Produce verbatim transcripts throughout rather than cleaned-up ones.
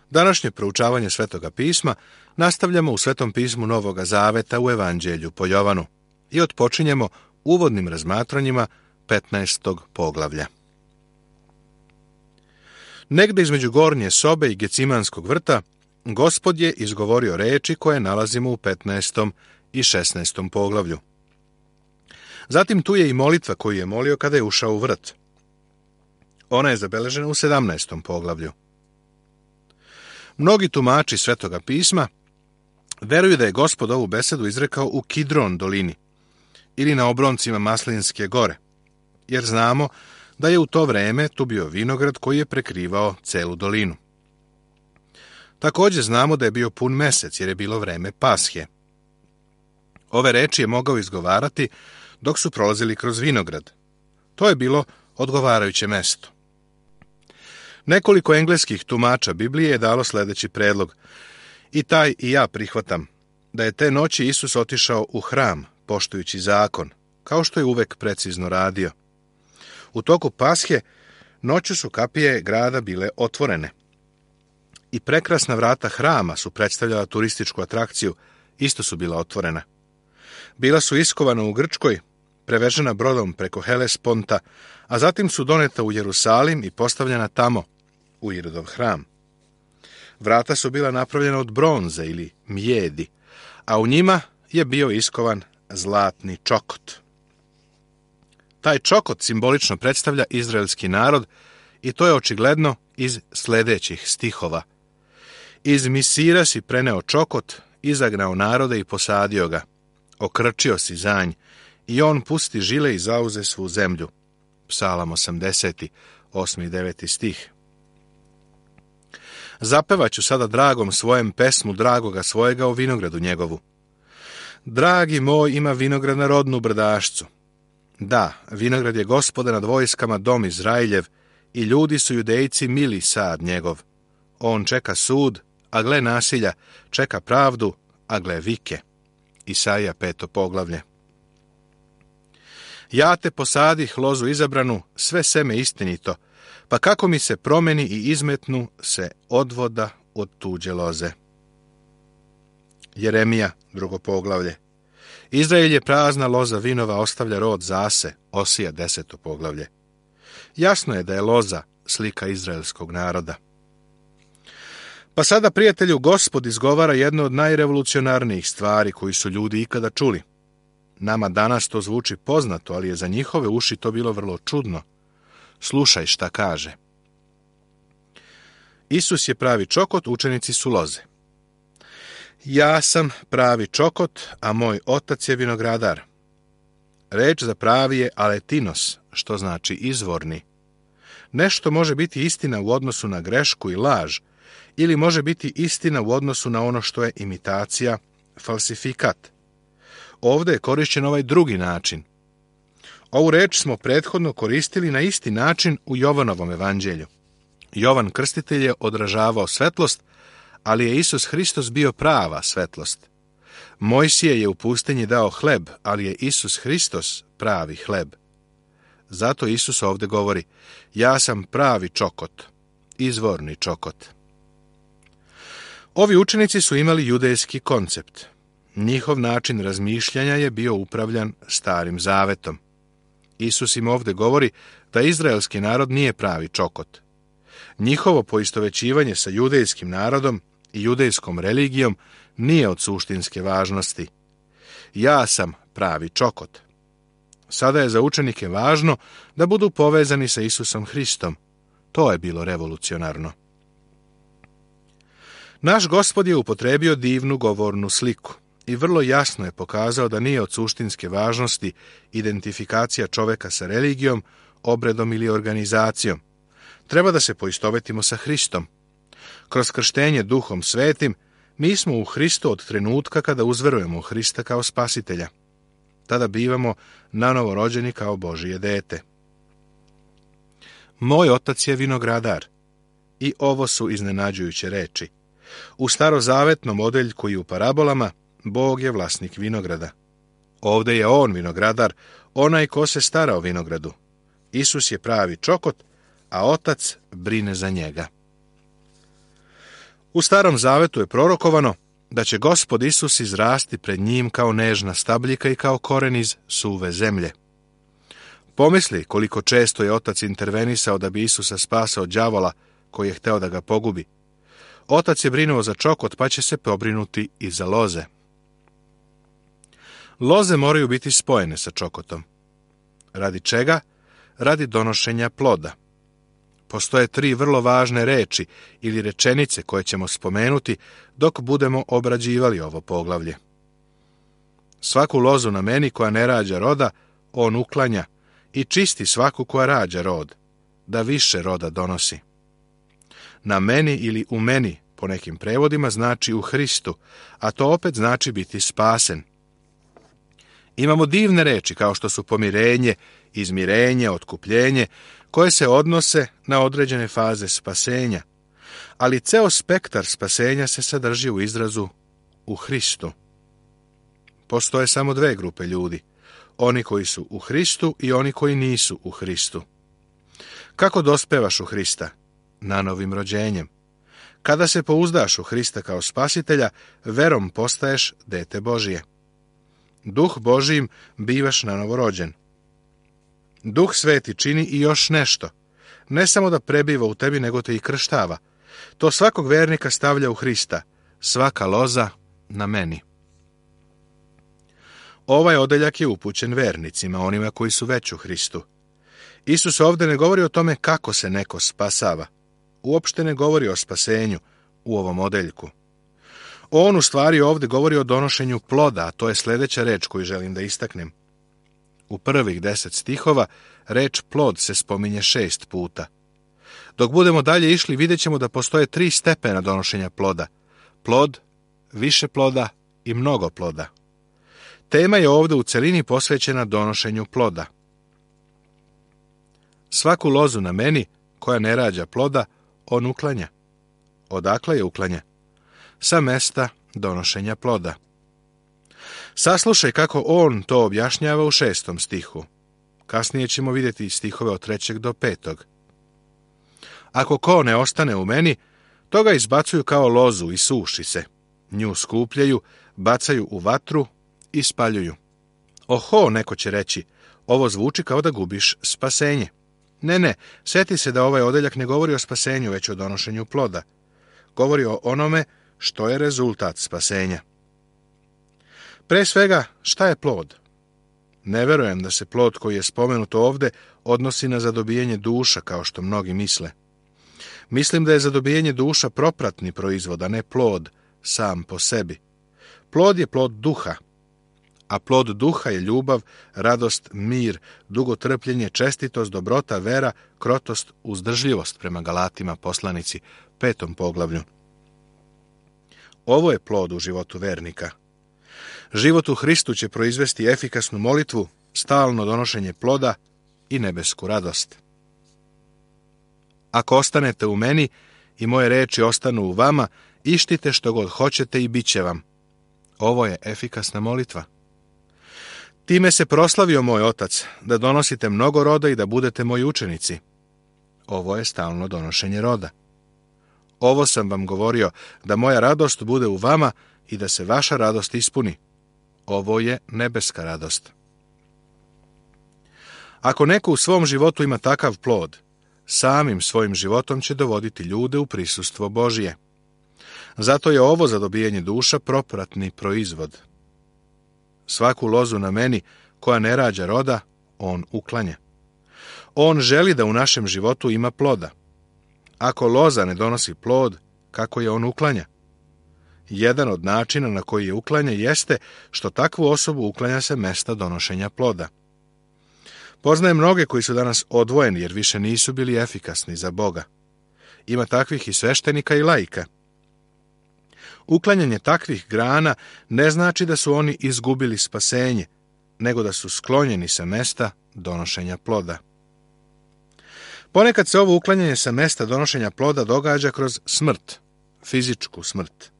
Današnje proučavanje Svetoga pisma nastavljamo u Svetom pismu Novoga Zaveta u Evanđelju po Jovanu i otpočinjemo uvodnim razmatranjima petnaestog poglavlja. Negde između gornje sobe i Gecimanskog vrta Gospod je izgovorio reči koje nalazimo u petnaestom i šesnaestom poglavlju. Zatim tu je i molitva koju je molio kada je ušao u vrt. Ona je zabeležena u sedamnaestom poglavlju. Mnogi tumači Svetoga pisma veruju da je Gospod ovu besedu izrekao u Kidron dolini ili na obroncima Maslinske gore, jer znamo da je u to vreme tu bio vinograd koji je prekrivao celu dolinu. Također znamo da je bio pun mesec, jer je bilo vreme Pashe. Ove reči je mogao izgovarati dok su prolazili kroz vinograd. To je bilo odgovarajuće mesto. Nekoliko engleskih tumača Biblije je dalo sljedeći predlog. I taj i ja prihvatam da je te noći Isus otišao u hram, poštujući zakon, kao što je uvek precizno radio. U toku Pashe noću su kapije grada bile otvorene. I prekrasna vrata hrama su predstavljala turističku atrakciju, isto su bila otvorena. Bila su iskovana u Grčkoj, prevežena brodom preko Helesponta, a zatim su doneta u Jerusalim i postavljena tamo, u Irodov hram. Vrata su bila napravljena od bronze ili mjedi, a u njima je bio iskovan zlatni čokot. Taj čokot simbolično predstavlja izraelski narod i to je očigledno iz sljedećih stihova. Iz Misira si preneo čokot, izagnao narode i posadio ga. Okrčio si zanj i on pusti žile i zauze svu zemlju. Psalam osamdeseti, osmi i deveti stih. Zapevaću sada dragom svojem pesmu dragoga svojega o vinogradu njegovu. Dragi moj ima vinograd na rodnu brdašcu. Da, vinograd je Gospoda nad vojskama dom Izrailjev i ljudi su Judejci mili sad njegov. On čeka sud, a gle nasilja, čeka pravdu, a gle vike. Isaija peto poglavlje. Ja te posadih lozu izabranu, sve seme istinito, pa kako mi se promeni i izmetnu se odvoda od tuđe loze. Jeremija, drugo poglavlje. Izrael je prazna loza vinova, ostavlja rod zase, Osija, deseto poglavlje. Jasno je da je loza slika izraelskog naroda. Pa sada, prijatelju, Gospod izgovara jedno od najrevolucionarnijih stvari koji su ljudi ikada čuli. Nama danas to zvuči poznato, ali je za njihove uši to bilo vrlo čudno. Slušaj šta kaže. Isus je pravi čokot, učenici su loze. Ja sam pravi čokot, a moj otac je vinogradar. Reč za pravi je aletinos, što znači izvorni. Nešto može biti istina u odnosu na grešku i laž, ili može biti istina u odnosu na ono što je imitacija, falsifikat. Ovdje je korišćen ovaj drugi način. Ovu reč smo prethodno koristili na isti način u Jovanovom evanđelju. Jovan Krstitelj je odražavao svetlost, ali je Isus Hristos bio prava svetlost. Mojsije je u pustinji dao hleb, ali je Isus Hristos pravi hleb. Zato Isus ovdje govori, ja sam pravi čokot, izvorni čokot. Ovi učenici su imali judejski koncept. Njihov način razmišljanja je bio upravljan Starim Zavetom. Isus im ovdje govori da izraelski narod nije pravi čokot. Njihovo poistovećivanje sa judejskim narodom i judejskom religijom nije od suštinske važnosti. Ja sam pravi čokot. Sada je za učenike važno da budu povezani sa Isusom Hristom. To je bilo revolucionarno. Naš Gospod je upotrebio divnu govornu sliku i vrlo jasno je pokazao da nije od suštinske važnosti identifikacija čoveka sa religijom, obredom ili organizacijom. Treba da se poistovetimo sa Hristom. Kroz krštenje Duhom Svetim mi smo u Hristu od trenutka kada uzverujemo u Hrista kao spasitelja. Tada bivamo nanovo rođeni kao Božije dete. Moj otac je vinogradar. I ovo su iznenađujuće reči. U starozavetnom odeljku i u parabolama Bog je vlasnik vinograda. Ovdje je on vinogradar, onaj ko se stara o vinogradu. Isus je pravi čokot, a otac brine za njega. U Starom Zavetu je prorokovano da će Gospod Isus izrasti pred njim kao nežna stabljika i kao koren iz suve zemlje. Pomisli koliko često je Otac intervenisao da bi Isusa spasao đavola koji je hteo da ga pogubi. Otac je brinuo za čokot, pa će se pobrinuti i za loze. Loze moraju biti spojene sa čokotom. Radi čega? Radi donošenja ploda. Postoje tri vrlo važne reči ili rečenice koje ćemo spomenuti dok budemo obrađivali ovo poglavlje. Svaku lozu na meni koja ne rađa roda, on uklanja i čisti svaku koja rađa rod, da više roda donosi. Na meni ili u meni, po nekim prevodima, znači u Hristu, a to opet znači biti spasen. Imamo divne reči kao što su pomirenje, izmirenje, otkupljenje, koje se odnose na određene faze spasenja, ali ceo spektar spasenja se sadrži u izrazu u Hristu. Postoje samo dve grupe ljudi, oni koji su u Hristu i oni koji nisu u Hristu. Kako dospevaš u Hrista? Nanovim rođenjem. Kada se pouzdaš u Hrista kao spasitelja, verom postaješ dete Božije. Duh Božijim bivaš nanovo rođen. Duh Sveti čini i još nešto. Ne samo da prebiva u tebi, nego te i krštava. To svakog vernika stavlja u Hrista. Svaka loza na meni. Ovaj odeljak je upućen vernicima, onima koji su već u Hristu. Isus ovdje ne govori o tome kako se neko spasava. Uopšte ne govori o spasenju u ovom odeljku. On u stvari ovdje govori o donošenju ploda, a to je sljedeća reč koju želim da istaknem. U prvih deset stihova reč plod se spominje šest puta. Dok budemo dalje išli, vidjet ćemo da postoje tri stepena donošenja ploda. Plod, više ploda i mnogo ploda. Tema je ovdje u celini posvećena donošenju ploda. Svaku lozu na meni koja ne rađa ploda, on uklanja. Odakle je uklanja? Sa mesta donošenja ploda. Saslušaj kako on to objašnjava u šestom stihu. Kasnije ćemo vidjeti stihove od trećeg do petog. Ako ko ne ostane u meni, to ga izbacuju kao lozu i suši se. Nju skupljaju, bacaju u vatru i spaljuju. Oho, neko će reći, ovo zvuči kao da gubiš spasenje. Ne, ne, sjeti se da ovaj odeljak ne govori o spasenju, već o donošenju ploda. Govori o onome što je rezultat spasenja. Pre svega, šta je plod? Ne verujem da se plod koji je spomenut ovdje odnosi na zadobijanje duša, kao što mnogi misle. Mislim da je zadobijanje duša propratni proizvod, a ne plod sam po sebi. Plod je plod duha, a plod duha je ljubav, radost, mir, dugotrpljenje, čestitost, dobrota, vera, krotost, uzdržljivost, prema Galatima poslanici, petom poglavlju. Ovo je plod u životu vernika. Život u Hristu će proizvesti efikasnu molitvu, stalno donošenje ploda i nebesku radost. Ako ostanete u meni i moje reči ostanu u vama, ištite što god hoćete i bit će vam. Ovo je efikasna molitva. Time se proslavio moj Otac, da donosite mnogo roda i da budete moji učenici. Ovo je stalno donošenje roda. Ovo sam vam govorio, da moja radost bude u vama i da se vaša radost ispuni. Ovo je nebeska radost. Ako neko u svom životu ima takav plod, samim svojim životom će dovoditi ljude u prisustvo Božije. Zato je ovo zadobijanje duša propratni proizvod. Svaku lozu na meni koja ne rađa roda, on uklanja. On želi da u našem životu ima ploda. Ako loza ne donosi plod, kako je on uklanja? Jedan od načina na koji je uklanja jeste što takvu osobu uklanja se mesta donošenja ploda. Poznajem mnoge koji su danas odvojeni jer više nisu bili efikasni za Boga. Ima takvih i sveštenika i laika. Uklanjanje takvih grana ne znači da su oni izgubili spasenje, nego da su sklonjeni sa mesta donošenja ploda. Ponekad se ovo uklanjanje sa mesta donošenja ploda događa kroz smrt, fizičku smrt.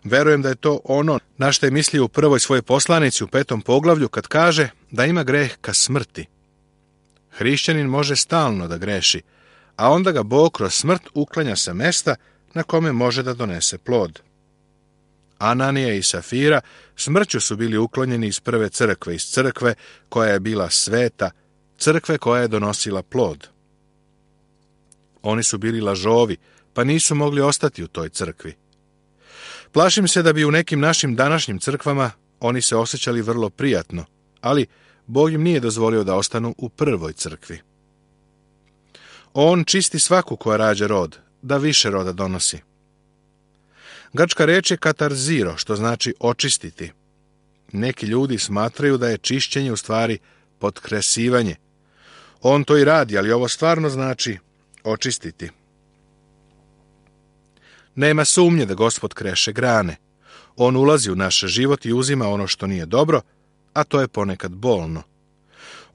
Verujem da je to ono na što je mislio u prvoj svojoj poslanici u petom poglavlju kad kaže da ima greh ka smrti. Hrišćanin može stalno da greši, a onda ga Bog kroz smrt uklanja sa mesta na kome može da donese plod. Ananija i Safira smrću su bili uklonjeni iz prve crkve, iz crkve koja je bila sveta, crkve koja je donosila plod. Oni su bili lažovi, pa nisu mogli ostati u toj crkvi. Plašim se da bi u nekim našim današnjim crkvama oni se osjećali vrlo prijatno, ali Bog im nije dozvolio da ostanu u prvoj crkvi. On čisti svaku koja rađa rod, da više roda donosi. Grčka reč je katarziro, što znači očistiti. Neki ljudi smatraju da je čišćenje u stvari potkresivanje. On to i radi, ali ovo stvarno znači očistiti. Nema sumnje da Gospod kreše grane. On ulazi u naš život i uzima ono što nije dobro, a to je ponekad bolno.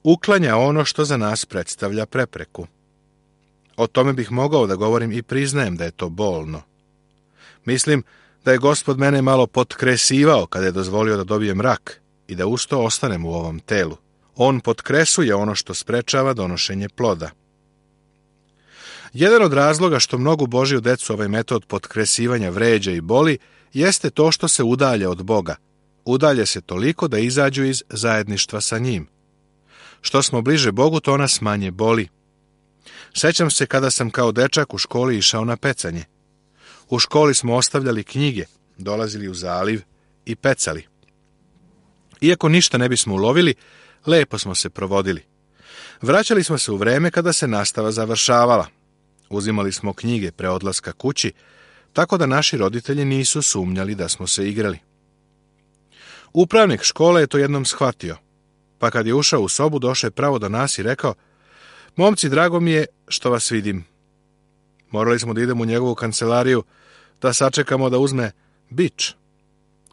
Uklanja ono što za nas predstavlja prepreku. O tome bih mogao da govorim i priznajem da je to bolno. Mislim da je Gospod mene malo potkresivao kada je dozvolio da dobijem rak i da usto ostanem u ovom telu. On potkresuje ono što sprečava donošenje ploda. Jedan od razloga što mnogu Božju decu ovaj metod potkresivanja vređa i boli jeste to što se udalje od Boga. Udalje se toliko da izađu iz zajedništva sa njim. Što smo bliže Bogu, to nas manje boli. Sećam se kada sam kao dečak u školi išao na pecanje. U školi smo ostavljali knjige, dolazili u zaliv i pecali. Iako ništa ne bismo ulovili, lepo smo se provodili. Vraćali smo se u vreme kada se nastava završavala. Uzimali smo knjige pre odlaska kući, tako da naši roditelji nisu sumnjali da smo se igrali. Upravnik škole je to jednom shvatio, pa kad je ušao u sobu, došao je pravo do nas i rekao: "Momci, drago mi je što vas vidim." Morali smo da idemo u njegovu kancelariju, da sačekamo da uzme bič.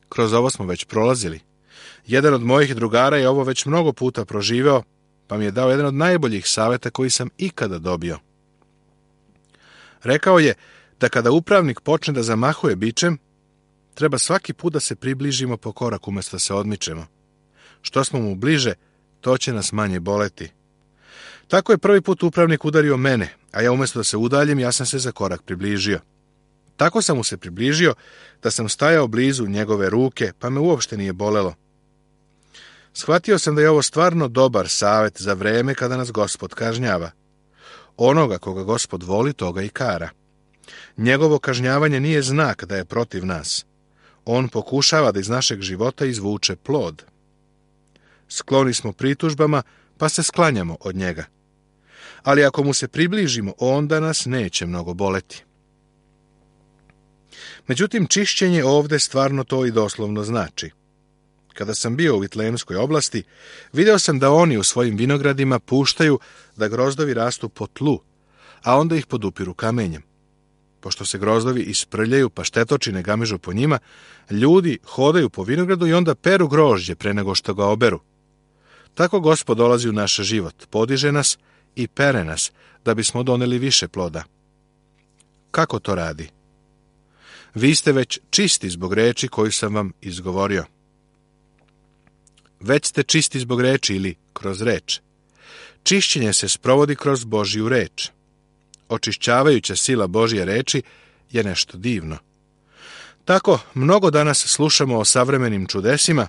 Kroz ovo smo već prolazili. Jedan od mojih drugara je ovo već mnogo puta proživeo, pa mi je dao jedan od najboljih savjeta koji sam ikada dobio. Rekao je da kada upravnik počne da zamahuje bičem, treba svaki put da se približimo po korak umjesto da se odmičemo. Što smo mu bliže, to će nas manje boleti. Tako je prvi put upravnik udario mene, a ja umjesto da se udaljim, ja sam se za korak približio. Tako sam mu se približio da sam stajao blizu njegove ruke, pa me uopšte nije bolelo. Shvatio sam da je ovo stvarno dobar savjet za vreme kada nas Gospod kažnjava. Onoga koga Gospod voli, toga i kara. Njegovo kažnjavanje nije znak da je protiv nas. On pokušava da iz našeg života izvuče plod. Skloni smo pritužbama, pa se sklanjamo od njega. Ali ako mu se približimo, onda nas neće mnogo boleti. Međutim, čišćenje ovde stvarno to i doslovno znači. Kada sam bio u Vitlejemskoj oblasti, video sam da oni u svojim vinogradima puštaju da grozdovi rastu po tlu, a onda ih podupiru kamenjem. Pošto se grozdovi isprljaju pa štetočine gamižu po njima, ljudi hodaju po vinogradu i onda peru grožđe pre nego što ga oberu. Tako Gospod dolazi u naš život, podiže nas i pere nas, da bismo doneli više ploda. Kako to radi? Vi ste već čisti zbog reči koju sam vam izgovorio. Već ste čisti zbog reči ili kroz reč. Čišćenje se sprovodi kroz Božju reč. Očišćavajuća sila Božje reči je nešto divno. Tako, mnogo danas slušamo o savremenim čudesima,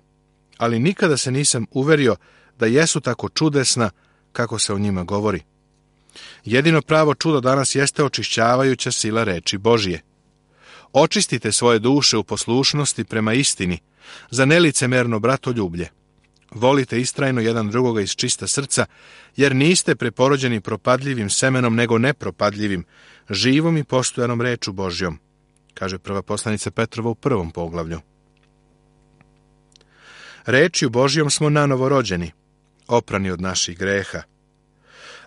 ali nikada se nisam uverio da jesu tako čudesna kako se o njima govori. Jedino pravo čudo danas jeste očišćavajuća sila reči Božje. Očistite svoje duše u poslušnosti prema istini, za nelicemerno bratoljublje. Volite istrajno jedan drugoga iz čista srca, jer niste preporođeni propadljivim semenom, nego nepropadljivim, živom i postojanom reču Božjom, kaže prva poslanica Petrova u prvom poglavlju. Rečju Božjom smo nanovo rođeni, oprani od naših greha.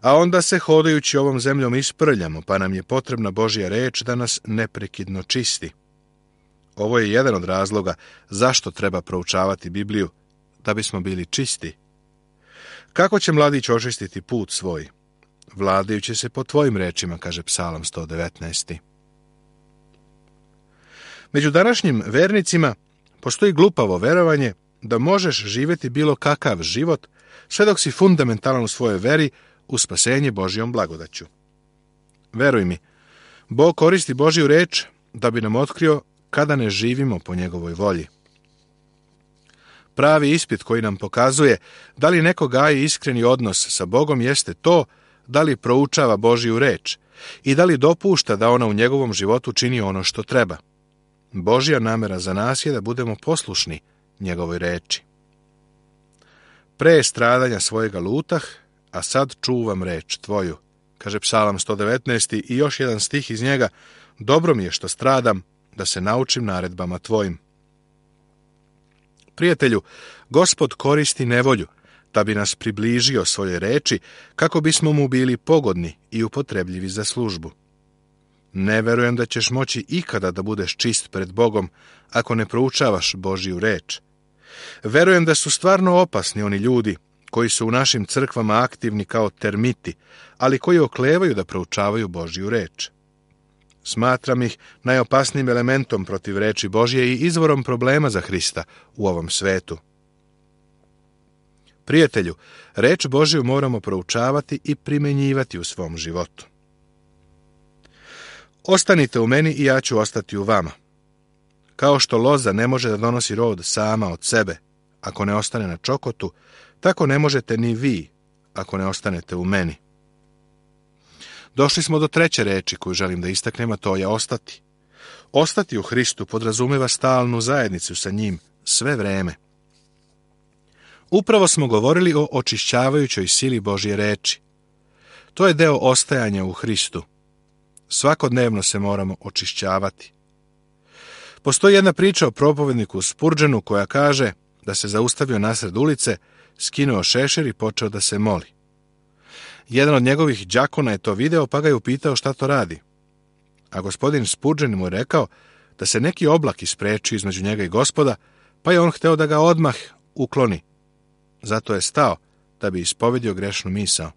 A onda se hodajući ovom zemljom isprljamo, pa nam je potrebna Božja reč da nas neprekidno čisti. Ovo je jedan od razloga zašto treba proučavati Bibliju, da bismo bili čisti. Kako će mladić očistiti put svoj? Vladajući se po tvojim rečima, kaže Psalam sto devetnaest. Među današnjim vernicima postoji glupavo verovanje da možeš živjeti bilo kakav život sve dok si fundamentalan u svojoj veri u spasenje Božjom blagodaću. Veruj mi, Bog koristi Božju reč da bi nam otkrio kada ne živimo po njegovoj volji. Pravi ispit koji nam pokazuje da li neko gaji iskreni odnos sa Bogom jeste to da li proučava Božju reč i da li dopušta da ona u njegovom životu čini ono što treba. Božja namera za nas je da budemo poslušni njegovoj reči. Pre stradanja svojega lutah, a sad čuvam reč tvoju, kaže Psalam sto devetnaest i još jedan stih iz njega, dobro mi je što stradam, da se naučim naredbama tvojim. Prijatelju, Gospod koristi nevolju, da bi nas približio svoje reči, kako bismo mu bili pogodni i upotrebljivi za službu. Ne verujem da ćeš moći ikada da budeš čist pred Bogom, ako ne proučavaš Božju reč. Verujem da su stvarno opasni oni ljudi, koji su u našim crkvama aktivni kao termiti, ali koji oklevaju da proučavaju Božju reč. Smatram ih najopasnijim elementom protiv reči Božje i izvorom problema za Hrista u ovom svetu. Prijatelju, reč Božju moramo proučavati i primenjivati u svom životu. Ostanite u meni i ja ću ostati u vama. Kao što loza ne može da donosi rod sama od sebe, ako ne ostane na čokotu, tako ne možete ni vi, ako ne ostanete u meni. Došli smo do treće reči koju želim da istaknem, a to je ostati. Ostati u Hristu podrazumeva stalnu zajednicu sa njim sve vreme. Upravo smo govorili o očišćavajućoj sili Božje reči. To je deo ostajanja u Hristu. Svakodnevno se moramo očišćavati. Postoji jedna priča o propovedniku Spurgeonu koja kaže da se zaustavio nasred ulice, skinuo šešir i počeo da se moli. Jedan od njegovih đakona je to video pa ga je upitao šta to radi. A gospodin Spurgeon mu je rekao da se neki oblak isprečio između njega i Gospoda, pa je on hteo da ga odmah ukloni. Zato je stao da bi ispovedio grešnu misao.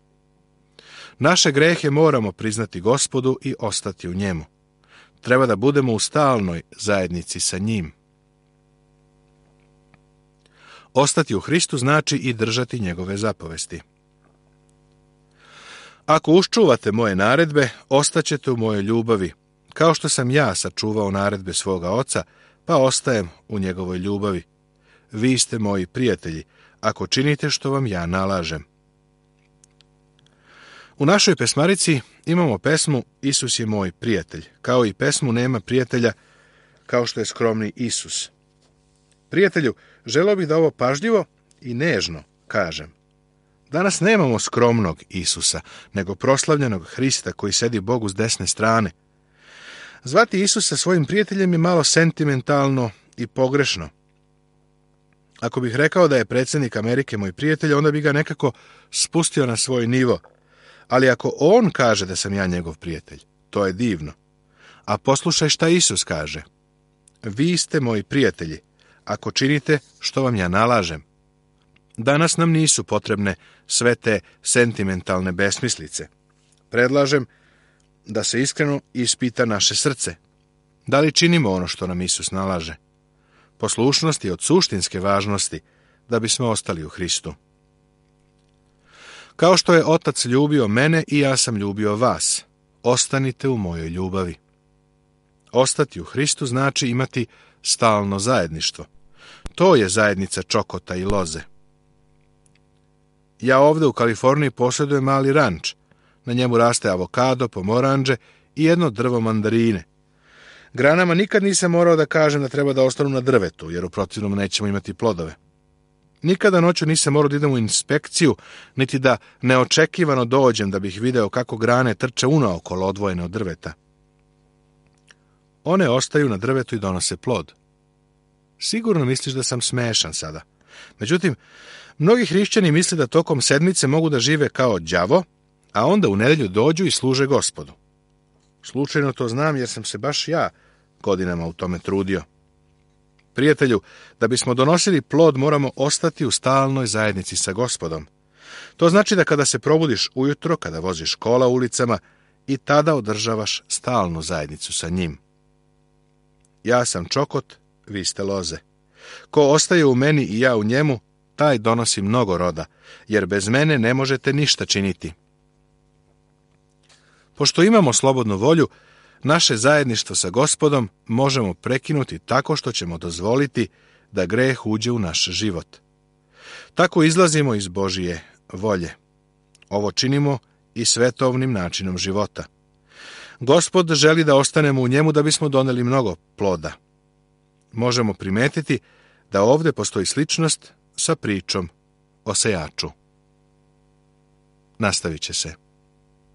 Naše grehe moramo priznati Gospodu i ostati u njemu. Treba da budemo u stalnoj zajednici sa njim. Ostati u Hristu znači i držati njegove zapovesti. Ako uščuvate moje naredbe, ostaćete u mojoj ljubavi, kao što sam ja sačuvao naredbe svoga oca, pa ostajem u njegovoj ljubavi. Vi ste moji prijatelji, ako činite što vam ja nalažem. U našoj pesmarici imamo pesmu Isus je moj prijatelj, kao i pesmu Nema prijatelja, kao što je skromni Isus. Prijatelju, želeo bih da ovo pažljivo i nežno kažem. Danas nemamo skromnog Isusa, nego proslavljenog Hrista koji sedi Bogu s desne strane. Zvati Isusa svojim prijateljem je malo sentimentalno i pogrešno. Ako bih rekao da je predsjednik Amerike moj prijatelj, onda bi ga nekako spustio na svoj nivo. Ali ako on kaže da sam ja njegov prijatelj, to je divno. A poslušaj šta Isus kaže. Vi ste moji prijatelji, ako činite što vam ja nalažem. Danas nam nisu potrebne sve te sentimentalne besmislice. Predlažem da se iskreno ispita naše srce. Da li činimo ono što nam Isus nalaže? Poslušnost je od suštinske važnosti da bismo ostali u Hristu. Kao što je Otac ljubio mene i ja sam ljubio vas, ostanite u mojoj ljubavi. Ostati u Hristu znači imati stalno zajedništvo. To je zajednica čokota i loze. Ja ovdje u Kaliforniji posjedujem mali ranč. Na njemu raste avokado, pomoranđe i jedno drvo mandarine. Granama nikad nisam morao da kažem da treba da ostanu na drvetu, jer u protivnom nećemo imati plodove. Nikada noću nisam morao da idem u inspekciju, niti da neočekivano dođem da bih video kako grane trče unaokolo odvojene od drveta. One ostaju na drvetu i donose plod. Sigurno misliš da sam smešan sada. Međutim, mnogi hrišćani misle da tokom sedmice mogu da žive kao đavo, a onda u nedelju dođu i služe Gospodu. Slučajno to znam jer sam se baš ja godinama u tome trudio. Prijatelju, da bismo donosili plod moramo ostati u stalnoj zajednici sa Gospodom. To znači da kada se probudiš ujutro, kada voziš kola ulicama, i tada održavaš stalnu zajednicu sa njim. Ja sam čokot, vi ste loze. Ko ostaje u meni i ja u njemu, taj donosi mnogo roda, jer bez mene ne možete ništa činiti. Pošto imamo slobodnu volju, naše zajedništvo sa Gospodom možemo prekinuti tako što ćemo dozvoliti da greh uđe u naš život. Tako izlazimo iz Božije volje. Ovo činimo i svetovnim načinom života. Gospod želi da ostanemo u njemu da bismo doneli mnogo ploda. Možemo primetiti da ovdje postoji sličnost sa pričom o sejaču. Nastavit će se.